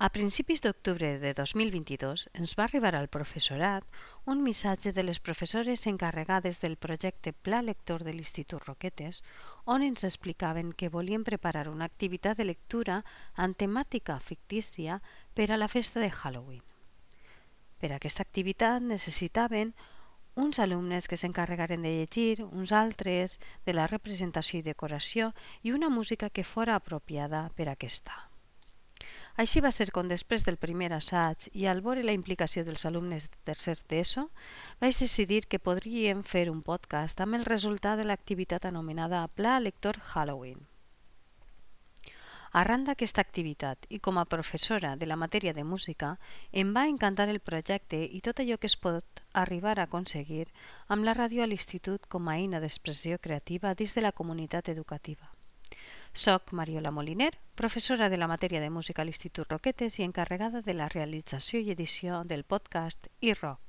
A principis d'octubre de 2022 ens va arribar al professorat un missatge de les professores encarregades del projecte Pla Lector de l'Institut Roquetes, on ens explicaven que volien preparar una activitat de lectura amb temàtica fictícia per a la festa de Halloween. Per a aquesta activitat necessitaven uns alumnes que s'encarregaren de llegir, uns altres de la representació i decoració i una música que fora apropiada per a aquesta. Així va ser com després del primer assaig i al veure la implicació dels alumnes de tercer d'ESO, vaig decidir que podríem fer un podcast amb el resultat de l'activitat anomenada Pla Lector Halloween. Arran d'aquesta activitat i com a professora de la matèria de música, em va encantar el projecte i tot allò que es pot arribar a aconseguir amb la ràdio a l'institut com a eina d'expressió creativa dins de la comunitat educativa. Soc Mariola Moliner, professora de la matèria de música a l'Institut Roquetes i encarregada de la realització i edició del podcast iRock.